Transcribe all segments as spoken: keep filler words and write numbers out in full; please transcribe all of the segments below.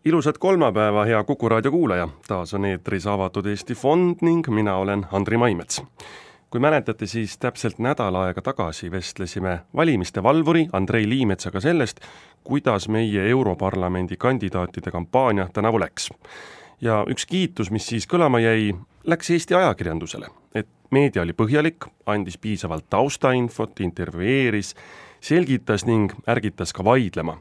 Ilusat kolmapäeva, hea Kuku raadio kuulaja. Taas on eetris Avatud Eesti Fond ning mina olen Andri Maimets. Kui mäletate, siis täpselt nädal aega tagasi vestlesime valimiste valvuri Andrei Liimetsaga sellest, kuidas meie Europarlamendi kandidaatide kampaania tänavu läks. Ja üks kiitus, mis siis kõlama jäi, läks Eesti ajakirjandusele, et meedia oli põhjalik, andis piisavalt taustainfot, intervjueeris, selgitas ning ärgitas ka vaidlema.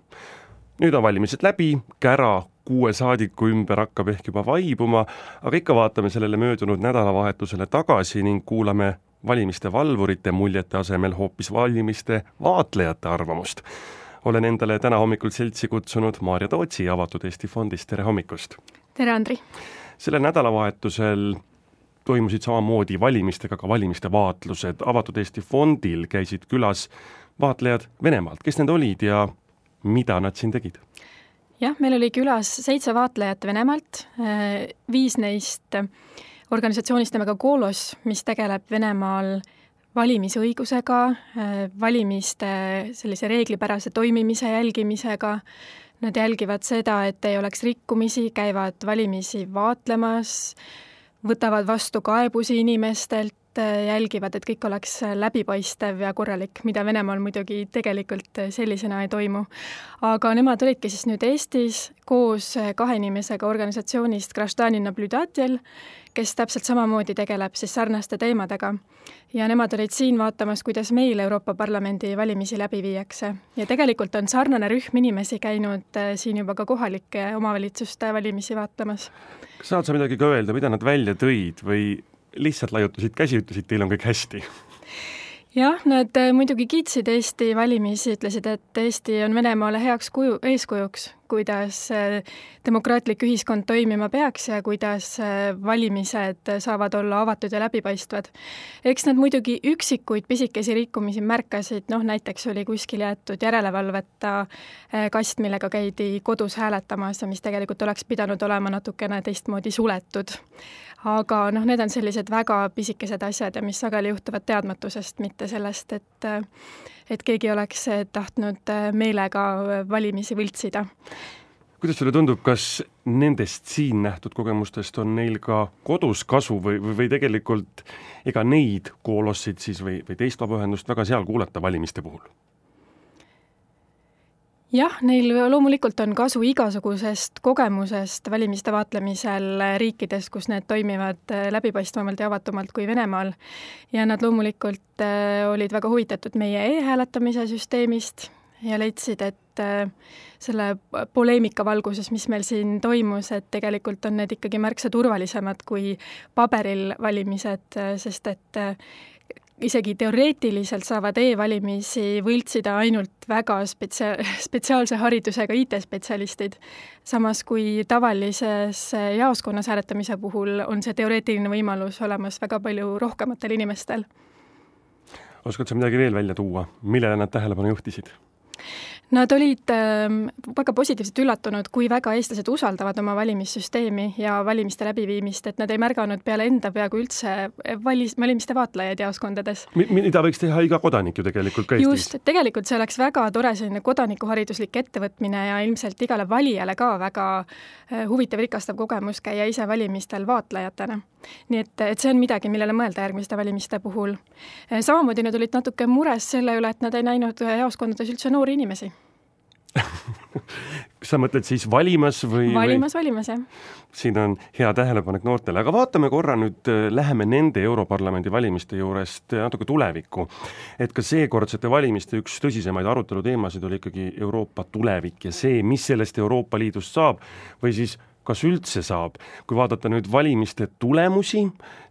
Nüüd on valimised läbi, kära kuue saadiku ümber hakkab ehk juba vaibuma, aga ikka vaatame sellele möödunud nädalavahetusele tagasi ning kuulame valimiste valvurite muljete asemel hoopis valimiste vaatlejate arvamust. Olen endale täna hommikul seltsi kutsunud Maarja Tootsi Avatud Eesti Fondist. Tere hommikust! Tere, Andri! Selle nädalavahetusel toimusid samamoodi valimistega ka valimiste vaatlused. Avatud Eesti Fondil käisid külas vaatlejad Venemaalt. Kes need olid ja mida nad siin tegid? Jah, meil oli külas seitse vaatlejat Venemaalt, viis neist organisatsioonist nimega Golos, mis tegeleb Venemaal valimisõigusega, valimiste sellise reeglipärase toimimise jälgimisega. Nad jälgivad seda, et ei oleks rikkumisi, käivad valimisi vaatlemas, võtavad vastu kaebusi inimestelt, jälgivad, et kõik oleks läbipaistev ja korralik, mida Venemaal muidugi tegelikult sellisena ei toimu. Aga nemad olidki siis nüüd Eestis koos kahe inimesega organisatsioonist Graždani Nabljudatel, kes täpselt samamoodi tegeleb siis sarnaste teemadega. Ja nemad olid siin vaatamas, kuidas meil Euroopa Parlamendi valimisi läbi viiakse. Ja tegelikult on sarnane rühm inimesi käinud siin juba ka kohalike omavalitsuste valimisi vaatamas. Kas saad sa midagi ka öelda, mida nad välja tõid või lihtsalt laiutasid käsi, ütlesid, teil on kõik hästi? Jah, nad muidugi kiitsid Eesti valimisi, ütlesid, et Eesti on Venemaale heaks kuju, eeskujuks, kuidas demokraatlik ühiskond toimima peaks ja kuidas valimised saavad olla avatud ja läbipaistvad. Eks nad muidugi üksikuid pisikesi rikkumisi märkasid, noh näiteks oli kuskil jäetud järelevalveta kast, millega käidi kodus hääletamas ja mis tegelikult oleks pidanud olema natukene teistmoodi suletud. Aga noh, need on sellised väga pisikesed asjad ja mis sageli juhtuvad teadmatusest, mitte sellest, et, et keegi oleks tahtnud meelega valimisi võltsida. Kuidas sulle tundub, kas nendest siin nähtud kogemustest on neil ka kodus kasu või, või, või tegelikult ega neid koolossid siis või, või teist vabaühendust väga seal kuulata valimiste puhul? Jah, neil loomulikult on kasu igasugusest kogemusest valimiste vaatlemisel riikides, kus need toimivad läbipaistvamalt ja avatumalt kui Venemaal. Ja nad loomulikult olid väga huvitatud meie e-hääletamise süsteemist ja leidsid, et selle poleemika valguses, mis meil siin toimus, et tegelikult on need ikkagi märksa turvalisemad kui paberil valimised, sest et isegi teoreetiliselt saavad e-valimisi võltsida ainult väga spetsia- spetsiaalse haridusega I T-spetsialistid. Samas kui tavalises jaoskonnas hääletamise puhul on see teoreetiline võimalus olemas väga palju rohkematel inimestel. Oskad sa midagi veel välja tuua? Millele nad tähelepanu juhtisid? Nad olid väga positiivselt üllatunud, kui väga eestlased usaldavad oma valimissüsteemi ja valimiste läbiviimist, et nad ei märganud peale enda peaaegu üldse valis, valimiste vaatlejaid jaoskondades. Mida võiks teha iga kodanik ju tegelikult ka Eestis? Just, et tegelikult see oleks väga tore selline kodanikuhariduslik ettevõtmine ja ilmselt igale valijale ka väga huvitav rikastav kogemus käia ise valimistel vaatlejatena. Nii et, et see on midagi, millele mõelda järgmiste valimiste puhul. Samamoodi nad olid natuke mures selle üle, et nad ei näinud jaoskondades üldse noori inimesi. Kas sa mõtled siis valimas või? Valimas, või? valimas, jah. Siin on hea tähelepanek noortele, aga vaatame korra nüüd, läheme nende Europarlamendi valimiste juurest natuke tulevikku. Et ka seekordsete valimiste üks tõsisemaid arutelu teemasid oli ikkagi Euroopa tulevik ja see, mis sellest Euroopa Liidust saab või siis kas üldse saab. Kui vaadata nüüd valimiste tulemusi,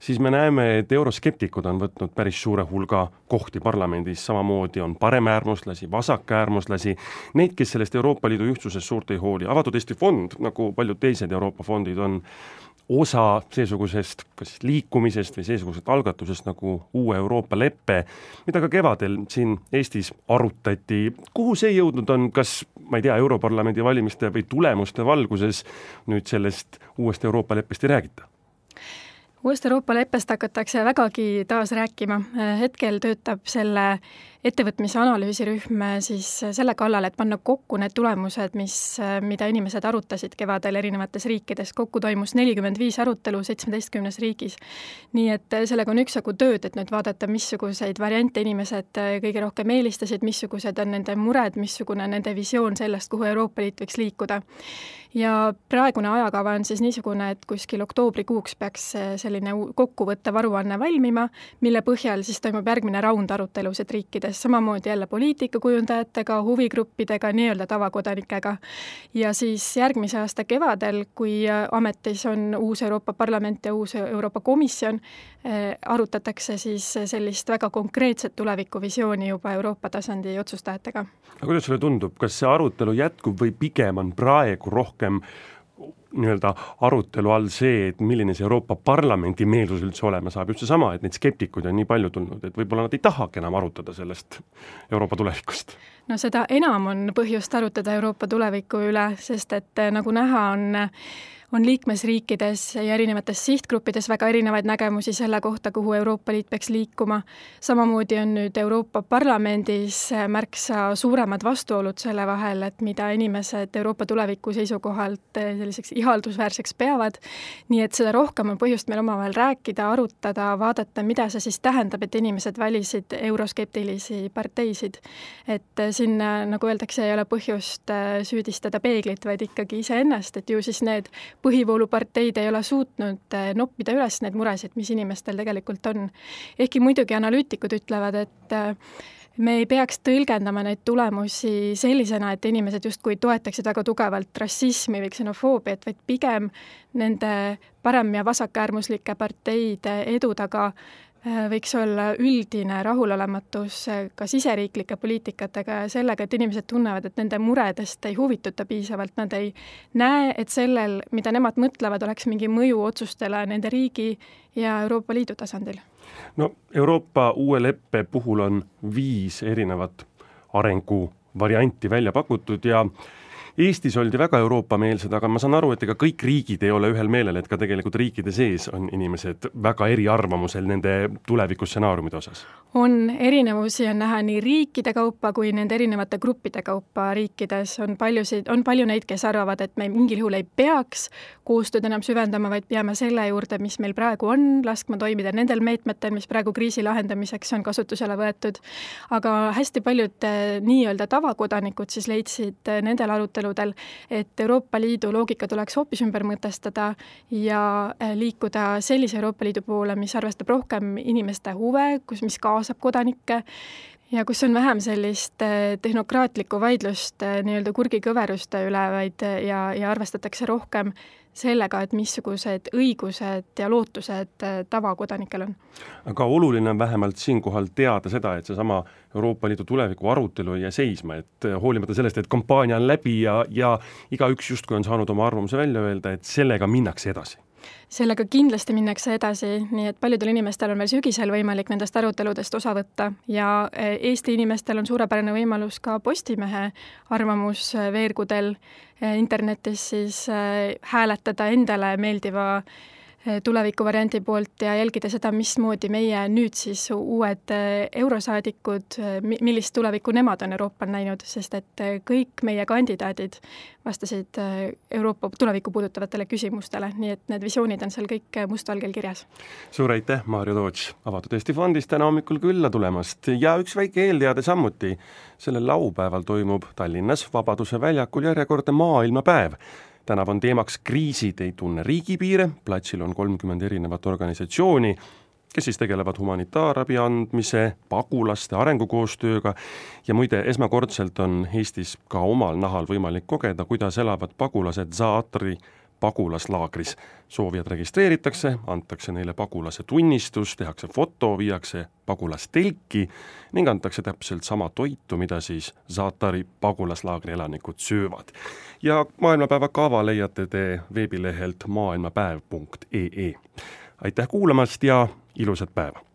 siis me näeme, et euroskeptikud on võtnud päris suure hulga kohti parlamendis, samamoodi on paremäärmuslasi, vasakäärmuslasi, neid, kes sellest Euroopa Liidu ühtsusest suurt ei hooli. Avatud Eesti Fond, nagu paljud teised Euroopa fondid, on osa seesugusest kas liikumisest või seesugusest algatusest nagu uue Euroopa leppe, mida ka kevadel siin Eestis arutati. Kuhu see jõudnud on, kas, ma ei tea, Europarlamendi valimiste või tulemuste valguses nüüd sellest uuest Euroopa leppest ei räägita? Uuest Euroopa leppest hakatakse vägagi taas rääkima. Hetkel töötab selle ettevõtmise analüüsirühm siis selle kallal, et panna kokku need tulemused, mis, mida inimesed arutasid kevadel erinevates riikides. Kokku toimus nelikümmend viis arutelu seitsmeteistkümnes riigis. Nii et sellega on üksjagu tööd, et nüüd vaadata, missuguseid variante inimesed kõige rohkem eelistasid, missugused on nende mured, missugune nende visioon sellest, kuhu Euroopa Liit võiks liikuda. Ja praegune ajakava on siis niisugune, et kuskil oktoobrikuuks peaks selline kokkuvõttev aruanne valmima, mille põhjal siis toimub järgmine raund arutelusid riikides, samamoodi jälle poliitikakujundajatega, huvigruppidega, nii-öelda tavakodanikega. Ja siis järgmise aasta kevadel, kui ametis on uus Euroopa Parlament ja uus Euroopa Komisjon, arutatakse siis sellist väga konkreetset tulevikuvisiooni juba Euroopa tasandi otsustajatega. Aga kuidas sulle tundub, kas see arutelu jätkub või pigem on praegu rohkem nii-öelda arutelu all see, et milline see Euroopa Parlamendi meelsus üldse olema saab, just see sama, et neid skeptikuid on nii palju tulnud, et võib-olla nad ei tahagi enam arutada sellest Euroopa tulevikust? No seda enam on põhjust arutada Euroopa tuleviku üle, sest et nagu näha on on liikmesriikides ja erinevates sihtgruppides väga erinevaid nägemusi selle kohta, kuhu Euroopa Liit peaks liikuma. Samamoodi on nüüd Euroopa Parlamendis märksa suuremad vastuolud selle vahel, et mida inimesed Euroopa tuleviku seisukohalt selliseks ihaldusväärseks peavad. Nii et seda rohkem on põhjust meil omavahel rääkida, arutada, vaadata, mida see siis tähendab, et inimesed valisid euroskeptilisi parteisid. Et siin, nagu öeldakse, ei ole põhjust süüdistada peeglit, vaid ikkagi iseennast, et ju siis need põhivooluparteid ei ole suutnud noppida üles need muresid, mis inimestel tegelikult on. Ehkki muidugi analüütikud ütlevad, et me ei peaks tõlgendama neid tulemusi sellisena, et inimesed justkui toetaksid väga tugevalt rassismi või ksenofoobiat, vaid pigem nende parem- ja vasakäärmuslike parteide edu taga võiks olla üldine rahulolematus ka siseriiklike poliitikatega ja sellega, et inimesed tunnevad, et nende muredest ei huvituta piisavalt, nad ei näe, et sellel, mida nemad mõtlevad, oleks mingi mõju otsustele nende riigi ja Euroopa Liidu tasandil. No Euroopa uue leppe puhul on viis erinevat arenguvarianti välja pakutud ja Eestis oldi väga Euroopa-meelsed, aga ma saan aru, et ega kõik riigid ei ole ühel meelel, et ka tegelikult riikide sees on inimesed väga eriarvamusel nende tulevikustsenaariumide osas. On erinevusi, on näha nii riikide kaupa kui nende erinevate gruppide kaupa riikides. On, paljusid, on palju neid, kes arvavad, et me mingil juhul ei peaks koostööd enam süvendama, vaid peame selle juurde, mis meil praegu on, laskma toimida nendel meetmetel, mis praegu kriisi lahendamiseks on kasutusele võetud. Aga hästi paljud nii-öelda tavakodanikud siis leidsid nendel aruteludel, et Euroopa Liidu loogika tuleks hoopis ümber mõtestada ja liikuda sellise Euroopa Liidu poole, mis arvestab rohkem inimeste huve, kus, mis kaasab kodanikke ja kus on vähem sellist tehnokraatlikku vaidlust nii-öelda kurgikõveruste üle, vaid ja, ja arvestatakse rohkem sellega, et missugused õigused ja lootused tavakodanikel on. Aga oluline on vähemalt siinkohal teada seda, et seesama Euroopa Liidu tuleviku arutelu ei jää seisma, et hoolimata sellest, et kampaania on läbi ja, ja igaüks justkui on saanud oma arvamuse välja öelda, et sellega minnakse edasi. Sellega kindlasti minnakse edasi, nii et paljudel inimestel on veel sügisel võimalik nendest aruteludest osa võtta ja Eesti inimestel on suurepärane võimalus ka Postimehe arvamusveergudel internetis siis hääletada endale meeldiva tulevikuvariandi poolt ja jälgida seda, mismoodi meie nüüd siis uued eurosaadikud, millist tulevikku nemad on Euroopal näinud, sest et kõik meie kandidaadid vastasid Euroopa tulevikku puudutavatele küsimustele, nii et need visioonid on seal kõik mustvalgel kirjas. Suur aitäh, Maarja Toots, Avatud Eesti Fondist täna hommikul külla tulemast ja üks väike eelteade samuti. Sellel laupäeval toimub Tallinnas Vabaduse väljakul järjekordne maailmapäev. Tänav on teemaks kriisid ei tunne riigipiire, platsil on kolmkümmend erinevat organisatsiooni, kes siis tegelevad humanitaarabi andmise, pagulaste arengukoostööga ja muide esmakordselt on Eestis ka omal nahal võimalik kogeda, kuidas elavad pagulased Zaatari pagulaslaagris. Soovijad registreeritakse, antakse neile pagulase tunnistus, tehakse foto, viiakse pagulastelki ning antakse täpselt sama toitu, mida siis Zaatari pagulaslaagri elanikud söövad. Ja maailmapäeva kava leiate te veebilehelt maailmapäev punkt ee. Aitäh kuulamast ja ilusat päeva!